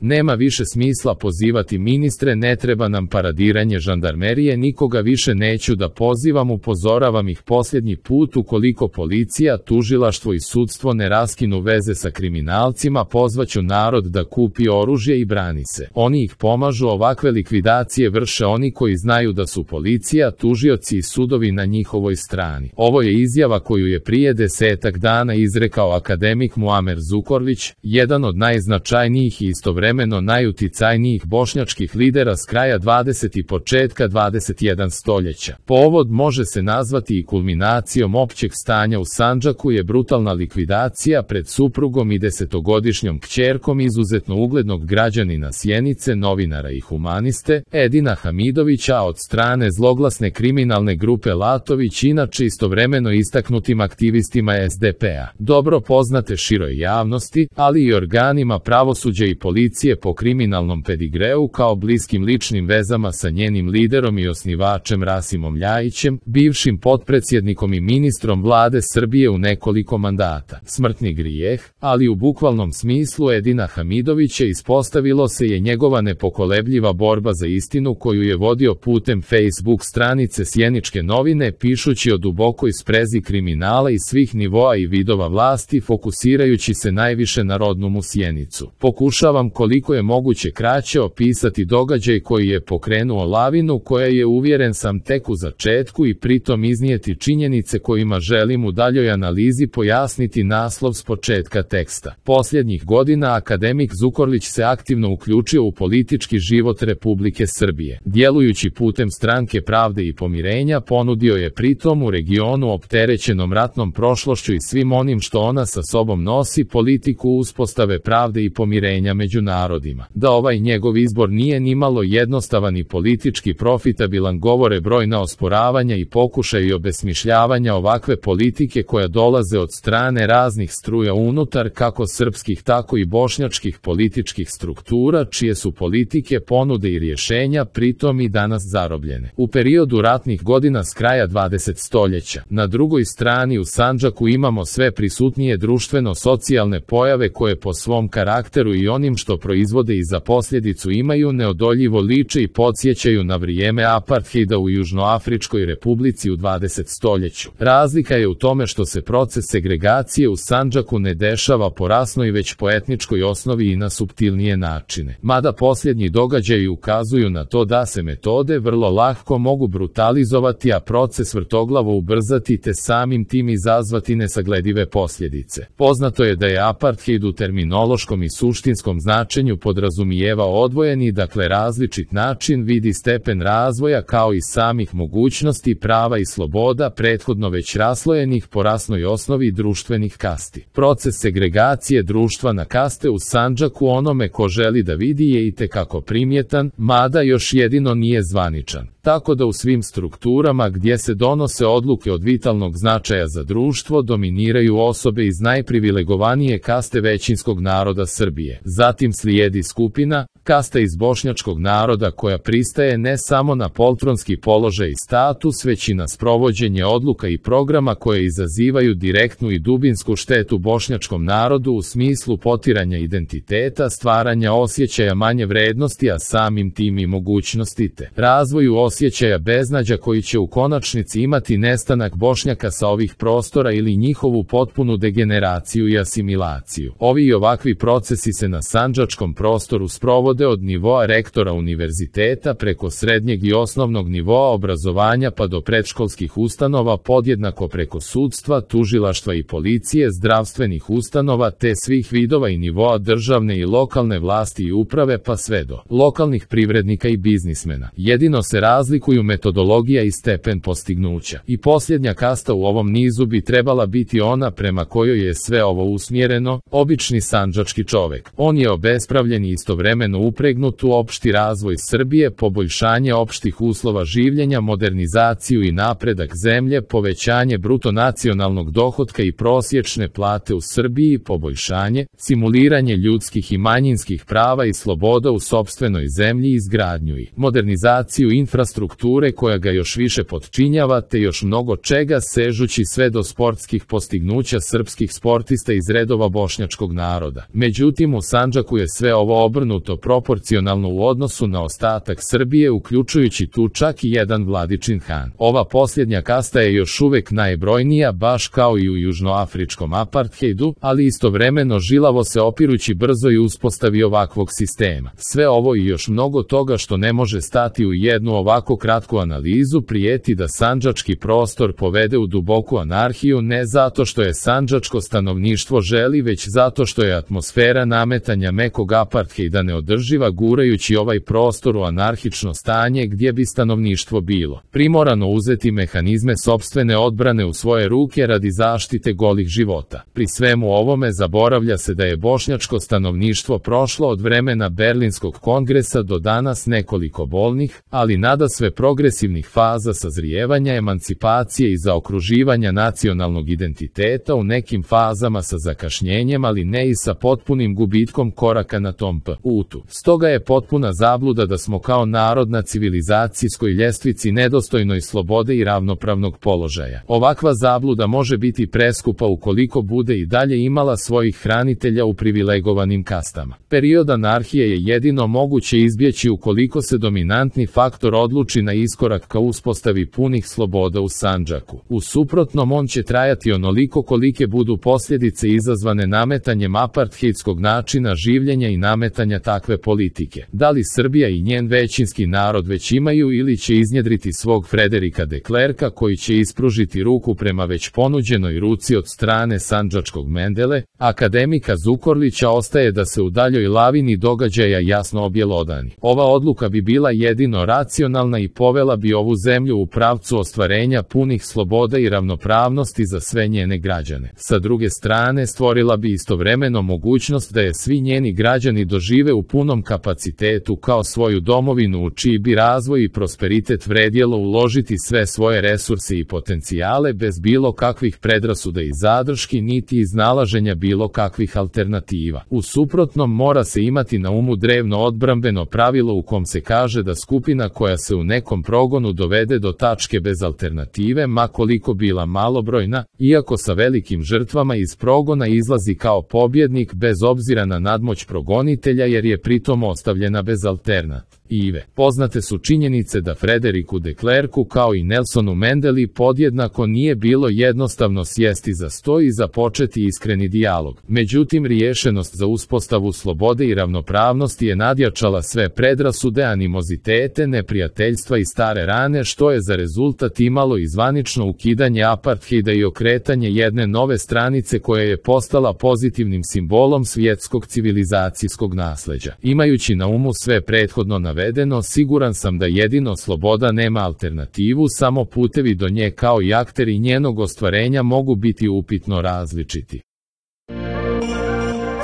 Nema više smisla pozivati ministre, ne treba nam paradiranje žandarmerije, nikoga više neću da pozivam, upozoravam ih posljednji put, ukoliko policija, tužilaštvo i sudstvo ne raskinu veze sa kriminalcima, pozvaću narod da kupi oružje i brani se. Oni ih pomažu, ovakve likvidacije vrše oni koji znaju da su policija, tužioci i sudovi na njihovoj strani. Ovo je izjava koju je prije 10 dana izrekao akademik Muamer Zukorlić, jedan od najznačajnijih i istovremeno najuticajnijih bošnjačkih lidera s kraja 20. i početka 21. stoljeća. Povod može se nazvati i kulminacijom općeg stanja u Sandžaku je brutalna likvidacija pred suprugom i 10-godišnjom kćerkom izuzetno uglednog građanina Sjenice, novinara i humaniste, Edina Hamidovića, od strane zloglasne kriminalne grupe Latović, inače istovremeno istaknutim aktivistima SDP-a. Dobro poznate široj javnosti, ali i organima pravosuđa i policije po kriminalnom pedigreu kao bliskim ličnim vezama sa njenim liderom i osnivačem Rasimom Ljajićem, bivšim potpredsjednikom i ministrom vlade Srbije u nekoliko mandata. Smrtni grijeh, ali u bukvalnom smislu Edina Hamidovića, ispostavilo se je njegova nepokolebljiva borba za istinu koju je vodio putem Facebook stranice Sjeničke novine, pišući o dubokoj sprezi kriminala i svih nivoa i vidova vlasti, fokusirajući se najviše na rodnu mu Sjenicu. Pokušavam koliko je moguće kraće opisati događaj koji je pokrenuo lavinu koja je, uvjeren sam, tek u začetku i pritom iznijeti činjenice kojima želim u daljoj analizi pojasniti naslov s početka teksta. Posljednjih godina akademik Zukorlić se aktivno uključio u politički život Republike Srbije. Djelujući putem Stranke pravde i pomirenja, ponudio je pritom u regionu opterećenom ratnom prošlošću i svim onim što ona sa sobom nosi politiku uspostave pravde i pomirenja među narodima. Da ovaj njegov izbor nije nimalo jednostavan i politički profitabilan govore brojna osporavanja i pokušaji obesmišljavanja ovakve politike koja dolaze od strane raznih struja unutar kako srpskih tako i bošnjačkih političkih struktura, čije su politike, ponude i rješenja pritom i danas zarobljene. U periodu ratnih godina s kraja 20. stoljeća, na drugoj strani u Sandžaku imamo sve prisutnije društveno-socijalne pojave koje po svom karakteru i onim što proizvode i za posljedicu imaju neodoljivo liče i podsjećaju na vrijeme apartheida u Južnoafričkoj republici u 20. stoljeću. Razlika je u tome što se proces segregacije u Sandžaku ne dešava po rasnoj već po etničkoj osnovi i na suptilnije načine. Mada posljednji događaji ukazuju na to da se metode vrlo lako mogu brutalizovati, a proces vrtoglavo ubrzati te samim tim izazvati nesagledive posljedice. Poznato je da je apartheid u terminološkom i suštinskom značenju podrazumijeva odvojeni, dakle različit način, vidi stepen razvoja kao i samih mogućnosti, prava i sloboda prethodno već raslojenih po rasnoj osnovi društvenih kasti. Proces segregacije društva na kaste u Sandžaku onome ko želi da vidi je itekako primjetan, mada još jedino nije zvaničan. Tako da u svim strukturama gdje se donose odluke od vitalnog značaja za društvo dominiraju osobe iz najprivilegovanije kaste većinskog naroda Srbije. Zatim slijedi skupina, kasta iz bošnjačkog naroda koja pristaje ne samo na poltronski položaj i status, već i na sprovođenje odluka i programa koje izazivaju direktnu i dubinsku štetu bošnjačkom narodu u smislu potiranja identiteta, stvaranja osjećaja manje vrednosti, a samim tim i mogućnosti te razvoju osjećaja beznađa koji će u konačnici imati nestanak Bošnjaka sa ovih prostora ili njihovu potpunu degeneraciju i asimilaciju. Ovi i ovakvi procesi se na sandžačkom prostoru sprovode od nivoa rektora univerziteta preko srednjeg i osnovnog nivoa obrazovanja pa do predškolskih ustanova, podjednako preko sudstva, tužilaštva i policije, zdravstvenih ustanova te svih vidova i nivoa državne i lokalne vlasti i uprave pa sve do lokalnih privrednika i biznismena. Jedino se razlikuju metodologija i stepen postignuća. I posljednja kasta u ovom nizu bi trebala biti ona prema kojoj je sve ovo usmjereno, obični sandžački čovek. On je obespravljen i istovremeno upregnut u opšti razvoj Srbije, poboljšanje opštih uslova življenja, modernizaciju i napredak zemlje, povećanje bruto nacionalnog dohotka i prosječne plate u Srbiji, poboljšanje, simuliranje ljudskih i manjinskih prava i sloboda u sopstvenoj zemlji, izgradnju i modernizaciju infrastrukture infrastrukture koja ga još više potčinjava, te još mnogo čega sežući sve do sportskih postignuća srpskih sportista iz redova bošnjačkog naroda. Međutim, u Sandžaku je sve ovo obrnuto proporcionalno u odnosu na ostatak Srbije, uključujući tu čak i jedan Vladičin Han. Ova posljednja kasta je još uvek najbrojnija, baš kao i u južnoafričkom apartheidu, ali istovremeno žilavo se opirući brzo i uspostavi ovakvog sistema. Sve ovo i još mnogo toga što ne može stati u jednu ovako kratku analizu prijeti da sandžački prostor povede u duboku anarhiju, ne zato što je sandžačko stanovništvo želi, već zato što je atmosfera nametanja mekog apartheida neodrživa, gurajući ovaj prostor u anarhično stanje gdje bi stanovništvo bilo primorano uzeti mehanizme sopstvene odbrane u svoje ruke radi zaštite golih života. Pri svemu ovome zaboravlja se da je bošnjačko stanovništvo prošlo od vremena Berlinskog kongresa do danas nekoliko bolnih, ali nadasve progresivnih faza sazrijevanja, emancipacije i zaokruživanja nacionalnog identiteta, u nekim fazama sa zakašnjenjem, ali ne i sa potpunim gubitkom koraka na tom putu. Stoga je potpuna zabluda da smo kao narod na civilizacijskoj ljestvici nedostojnoj slobode i ravnopravnog položaja. Ovakva zabluda može biti preskupa ukoliko bude i dalje imala svojih hranitelja u privilegovanim kastama. Period anarhije je jedino moguće izbjeći ukoliko se dominantni faktor odluči na iskorak ka uspostavi punih sloboda u Sandžaku. U suprotnom on će trajati onoliko kolike budu posljedice izazvane nametanjem apartheidskog načina življenja i nametanja takve politike. Da li Srbija i njen većinski narod već imaju ili će iznjedriti svog Frederika de Klerka koji će ispružiti ruku prema već ponuđenoj ruci od strane sandžačkog Mendele, akademika Zukorlića, ostaje da se u daljoj lavini događaja jasno objelodani. Ova odluka bi bila jedino racionalna i povela bi ovu zemlju u pravcu ostvarenja punih sloboda i ravnopravnosti za sve njene građane. Sa druge strane, stvorila bi istovremeno mogućnost da je svi njeni građani dožive u punom kapacitetu kao svoju domovinu u čiji bi razvoj i prosperitet vredjelo uložiti sve svoje resurse i potencijale bez bilo kakvih predrasuda i zadrški niti iznalaženja bilo kakvih alternativa. U suprotnom mora se imati na umu drevno odbrambeno pravilo u kom se kaže da skupina koja se u nekom progonu dovede do tačke bez alternative, ma koliko bila malobrojna, iako sa velikim žrtvama iz progona izlazi kao pobjednik bez obzira na nadmoć progonitelja jer je pritom ostavljena bez alternative. Poznate su činjenice da Frederiku de Klerku kao i Nelsonu Mendeli podjednako nije bilo jednostavno sjesti za sto i započeti iskreni dijalog. Međutim, riješenost za uspostavu slobode i ravnopravnosti je nadjačala sve predrasude, animozitete, neprijateljstva i stare rane, što je za rezultat imalo i zvanično ukidanje apartheida i okretanje jedne nove stranice koja je postala pozitivnim simbolom svjetskog civilizacijskog nasleđa. Imajući na umu sve prethodno navedeno, siguran sam da jedino sloboda nema alternativu, samo putevi do nje kao i akteri njenog ostvarenja mogu biti upitno različiti.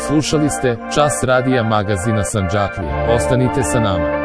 Slušali ste Čas radija magazina Sandžaklija. Ostanite sa nama.